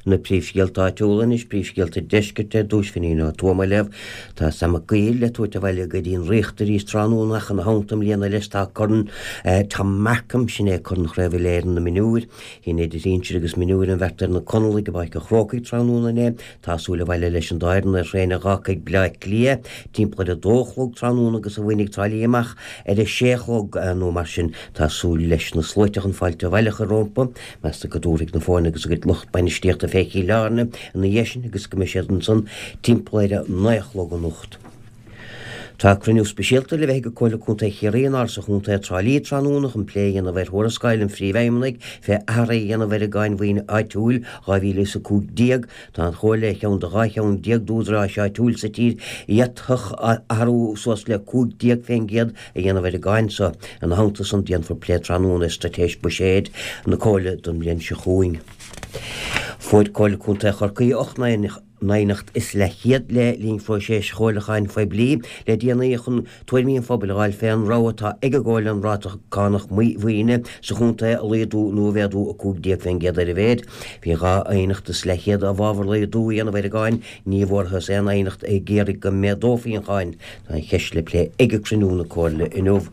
Na príomhscéalta áitiúla anois, príomhscéalta deiscirt ar dtús, Finín Ó Tuama á léamh. Tá Sam Mac Guill le tabhairt abhaile go dtí an Ríocht arís tráthnóna ach ina theannta i mbliana leis tá Corn Tom Markham, sin é Corn Chraobh Uile-Éireann na Mionúir. Chinn idir shinsir agus mionúir an bheirt ar na Conallaigh i bPáirc an Chrócaigh tráthnóna inné. Tá súil abhaile leis an dá fhoireann ar thraein a dh'fhágfaidh Bleá Cliath timpeall ar a dó a chlog tráthnóna agus a bhainfidh Trá Lí amach ar a sé a chlog nó mar sin. Tá súil leis na sluaite chun fáilte abhaile a chur rompu. Meastar go dtabharfaidh na foirne agus a gcuid lucht bainistíochta fé Chill Airne ina dhiaidh sin agus go mbeidh siad ansan timpeall ar a naoi a chlog anocht. Tá cruinniú speisialta le bheith ag Comhairle Contae Chiarraí in Áras an Chontae i dTrá Lí tráthnóna chun plé a dhéanamh ar thuarascáil an Phríomhfheidhmeannaigh fé athruithe a dhéanamh ar an gCáin Mhaoine Áitiúil 2015. Tá an Chomhairle ar cheann de 12 cheann d'údaráis áitiúil sa tír a d'fhéadfadh athrú suas le 15% a dhéanamh ar an gcáin so. Ina theannta san, déanfar plé tráthnóna ar straitéis buiséid na Comhairle don mbliain seo chugainn. Fuair Comhairle Contae Chorcaí 8 n-aighneacht is leathchéad le linn phróiseas chomhairliúcháin phoiblí le déanaí chun tuairimí an phobail a fháil fé an rogha atá ag an gComhairle an ráta cánach maoine sa chontae a laghdú nó a mhéadú 15% ar a mhéid. Bhí 2 aighneacht is leathchéad i bhfabhar laghdú a dhéanamh ar an gcáin, ní bhfuarthas aon aighneacht ag iarraidh go méadófaí an cháin. Tá an cheist le plé ag cruinniú na Comhairle inniu.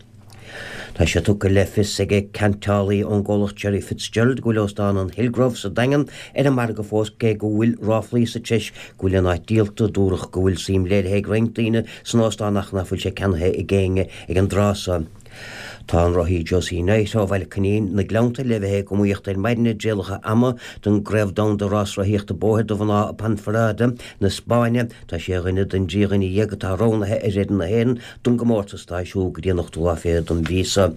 Tá sé tugtha le fios ag ceantálaí ón gcomhlacht Gerry Fitzgerald go bhfuil Óstán an Hillgrove sa Daingean ar an margadh fós cé go bhfuil ráflaí sa treis go bhfuil an áit díolta. Dúradh go bhfuil suim léirithe ag roinnt daoine san óstán ach nach bhfuil sé ceannaithe ag éinne ag an dtráth seo. Tá an rothaí Josie Knight ó Bhaile Coinín, na Gleannta, le bheith ag iomaíocht ar maidin i dtrialacha ama don gCraobh Domhanda Rás-Rothaíochta Bóthair do Mhná i Ponferrada na Spáinne. Tá sí ar dhuine den dtrí dhuine dhéag atá roghnaithe ar fhoireann na hÉireann don gcomórtas atá ar siúl go dtí an ochtú lá fichead den mhí seo.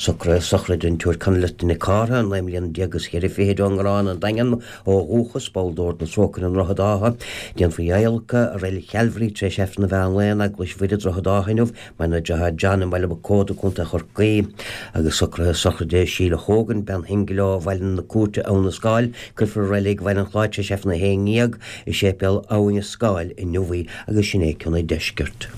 Socruithe sochraide an tSiúir Conleth Nic Cártha, 19 mbliana is cheithre fichid ón nGarrán, an Daingean, ó dhúchas, ball d'Ord na Trócaire i nDroichead Átha. Déanfar í a adhlacadh i Reilig Chalvary tar éis Aifreann an mheán lae in Eaglais Mhuire, Droichead Átha inniu. Maireann a deartháir John i mBaile Mhic Códa, Co. Chorcaí, agus socruithe sochraide Sheila Hogan, bean shingil ó Bhaile na Cúirte, Abhainn an Scáil, cuirfear i Reilig Bhaile an Chláir tar éis Aifreann a haon ndéag i Séipéal Abhainn an Scáil inniu í agus sin é cionn an deiscirt.